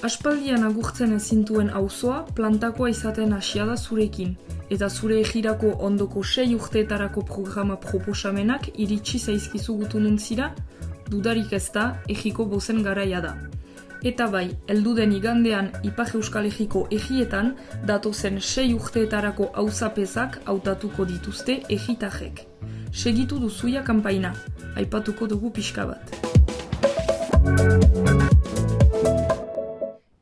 Aspaldian agurtzen ezintuen auzoa plantakoa izaten hasia da zurekin, eta zure egirako ondoko 6 urteetarako programa proposamenak iritsi zaizkizu gutununtzira, dudarik ez da, egiko bozen garaia da. Eta bai, heldu den igandean Ipar Euskal Herriko egietan, datozen 6 urteetarako auzapezak hautatuko dituzte egitajek. Segitu duzuia kanpaina, aipatuko dugu pixka bat.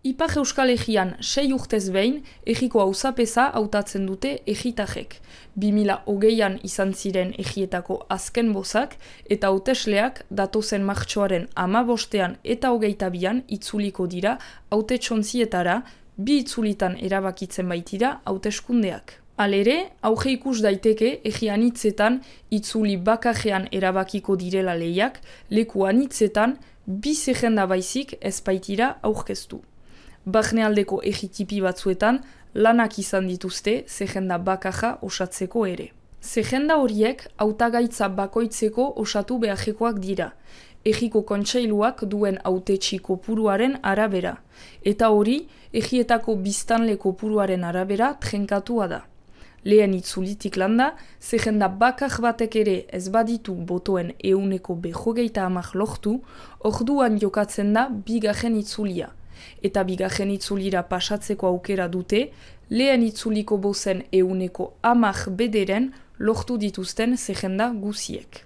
Ipar Euskal Herrian 6 urtez behin, egiko auzapeza hautatzen dute egitajek. 2020an izan ziren egietako azken bozak, eta hautesleak datozen martxoaren 15ean eta 22an itzuliko dira hautetsontzietara, 2 itzulitan erabakitzen baitira hauteskundeak. Halere, auge ikus daiteke egi anitzetan itzuli bakarrean erabakiko direla lehiak, leku anitzetan 2 zerrenda baizik ez baitira aurkeztu. Barnealdeko egitipi batzuetan lanak izan dituzte zerrenda bakarra osatzeko ere. Zerrenda horiek hautagaitza bakoitzeko osatu beharrekoak dira, egiko kontseiluak duen hautetsi kopuruaren arabera, eta hori egietako biztanle kopuruaren arabera trenkatua da. Lehen itzulitik landa, zerrenda bakar batek ere ez baditu botoen 150 lortu, orduan jokatzen da bigarren itzulia. Eta bigarren itzulira pasatzeko aukera dute, lehen itzuliko bozen 110 lortu dituzten zerrenda guziek.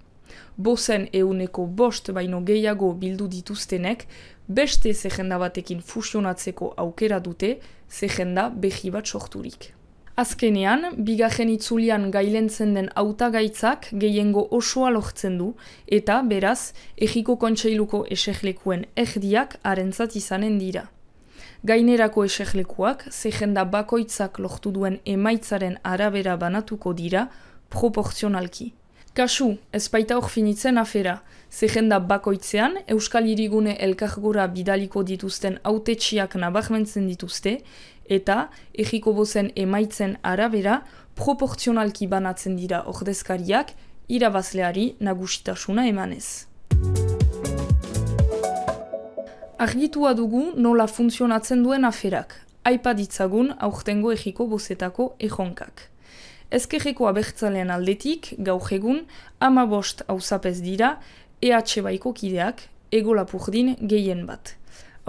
Bozen 105 baino gehiago bildu dituztenek, beste zerrenda batekin fusionatzeko aukera dute, zerrenda behi bat sorturik. Azkenean, bigarren itzulian gailentzen den hautagaitzak gehiengo osoa lortzen du, eta beraz, egiko kontseiluko eserlekuen erdiak harentzat izanen dira. Gainerako eserlekuak, zerrenda bakoitzak lortu duen emaitzaren arabera banatuko dira, proportzionalki. Kasu, ez baita hor finitzen afera, zerrenda bakoitzean Euskal Hirigune elkargora bidaliko dituzten hautetsiak nabarmentzen dituzte, eta egiko bozen emaitzen arabera proportzionalki banatzen dira ordezkariak irabazleari nagusitasuna emanez. Argitua dugu nola funtzionatzen duen aferak, aipa ditzagun aurtengo egiko bozetako erronkak. Ezkerreko abertzalean aldetik, gaur egun, 15 auzapez dira, EH baiko kideak, Ego Lapurdin gehien bat.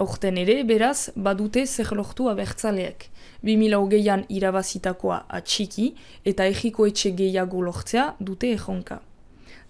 Aurten ere, beraz, badute zer lortu abertzaleek. 2020an irabazitakoa atxiki eta egiko etxe gehiago lortzea dute erronka.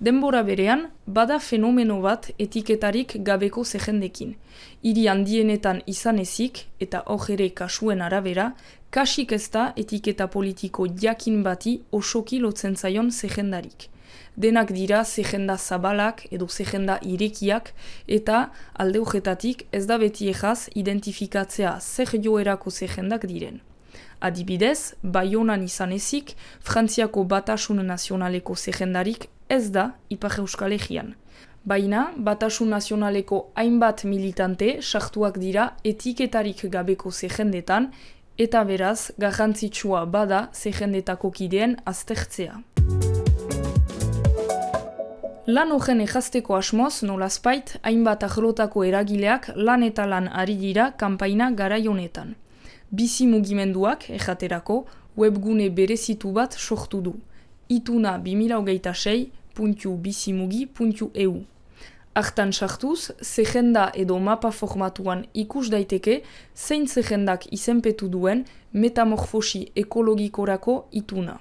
Denbora berean, bada fenomeno bat etiketarik gabeko zerrendekin. Hiri handienetan izan ezik, eta hor ere kasuen arabera, kasik ez da etiketa politiko jakin bati osoki lotzen zaion zerrendarik. Denak dira zerrenda zabalak edo zerrenda irekiak, eta alde horretatik ez da beti egaz identifikatzea zer joerako zerrendak diren. Adibidez, Baionan izan ezik, Frantziako Batasun Nazionaleko zerrendarik ez da Ipar Euskal Herrian. Baina, Batasun Nazionaleko hainbat militante sartuak dira etiketarik gabeko zerrendetan, eta beraz, garrantzitsua bada zerrendetako kideen aztertzea. Lan horren egazteko asmoz, nolazpait, hainbat arlotako eragileak lan eta lan ari dira kanpaina garai honetan. Bizi mugimenduak, ejaterako, webgune berezitu bat sortu du. ituna2026.bizimugi.eu. Hartan sartuz, zerrenda edo mapa formatuan ikus daiteke zein zerrendak izenpetu duen metamorfosi ekologikorako ituna.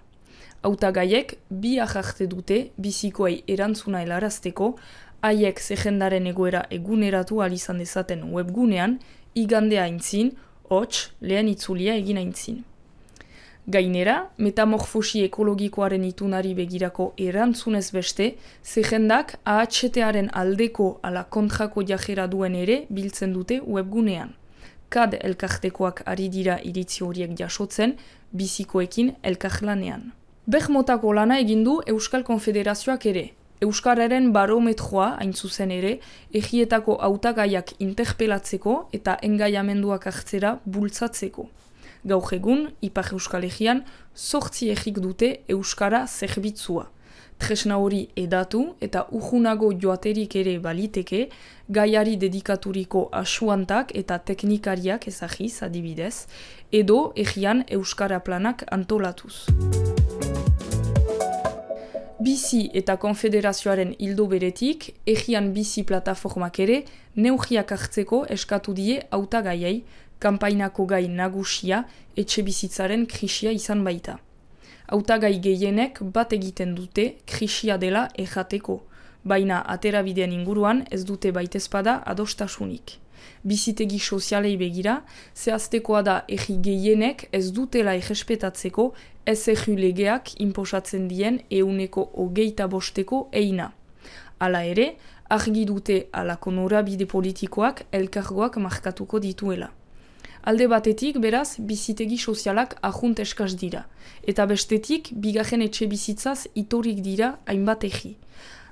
Hautagaiek bi aharte dute bizikoei erantzuna helarazteko, haiek zerrendaren egoera eguneratu ahal izan dezaten webgunean, igandea aintzin, hots, lehen itzulia egin aintzin. Gainera, metamorfosi ekologikoaren itunari begirako erantzunez beste, zerrendak AHT-aren aldeko ala kontrako jajera duen ere biltzen dute webgunean. KAD elkartekoak ari dira iritzi horiek jasotzen, bizikoekin elkarlanean. Motako lana egindu Euskal Konfederazioak ere. Euskararen barometroa, hain zuzen ere, egietako hautagaiak interpelatzeko eta engaiamenduak hartzera bultzatzeko. Gaur egun, Ipar Euskal Herrian, 8 egik dute Euskara zerbitzua. Tresna hori edatu eta urrunago joaterik ere baliteke, gaiari dedikaturiko asuantak eta teknikariak ezagiz adibidez, edo egian Euskara planak antolatuz. Bizi eta konfederazioaren ildo beretik, egian bizi plataformak ere neurriak hartzeko eskatu die hautagaiei, kanpainako gai nagusia etxe bizitzaren krisia izan baita. Hautagai gehienek bat egiten dute krisia dela errateko, baina aterabidean inguruan ez dute baitezpada adostasunik. Bizitegi sozialei begira, zehaztekoa da egi gehienek ez dutela errespetatzeko SRU legeak inposatzen dien 25% eina. Hala ere, argi dute halako norabide politikoak elkargoak markatuko dituela. Alde batetik, beraz, bizitegi sozialak ajunt eskaz dira, eta bestetik, bigarren etxe bizitzaz itorik dira hainbat egi.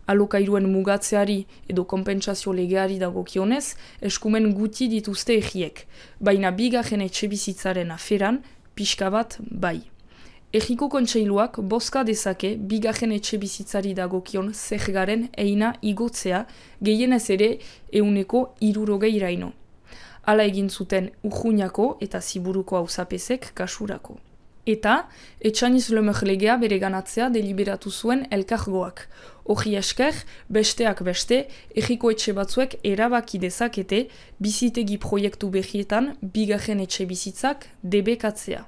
Alokairuen mugatzeari edo konpentsazio legeari dagokionez, eskumen guti dituzte egiek, baina bigarren etxe bizitzaren aferan, pixka bat bai. Egiko kontseiluak bozka dezake bigarren etxe bizitzari dagokion zergaren eina igotzea, gehienez ere 60%. Hala egin zuten Urruñako eta Ziburuko auzapezek kasurako. Eta, Etxaniz Lemer legea bereganatzea deliberatu zuen elkargoak. Hori esker, besteak beste, egiko etxe batzuek erabaki dezakete bizitegi proiektu berrietan bigarren etxe bizitzak debekatzea.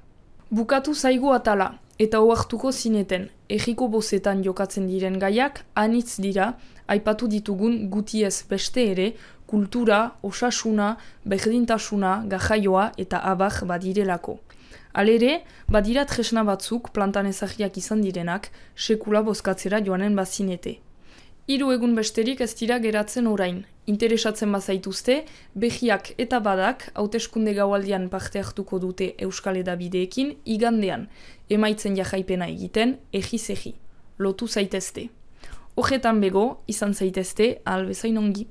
Bukatu zaigu atala, eta ohartuko zineten, egiko bozetan jokatzen diren gaiak anitz dira, aipatu ditugun gutiez beste ere, kultura, osasuna, berdintasuna, gajaioa eta abar badirelako. Halere, badira tresna batzuk plantan ezagiak izan direnak, sekula bozkatzera joanen bazinete. 3 egun besterik ez dira geratzen orain. Interesatzen bazaituzte, behiak eta badak hauteskunde gaualdian parte hartuko dute Euskal Hedabideekin igandean, emaitzen jajaipena egiten egiz-egi. Lotu zaitezte. Horretan bego, izan zaitezte, ahal bezain ongi.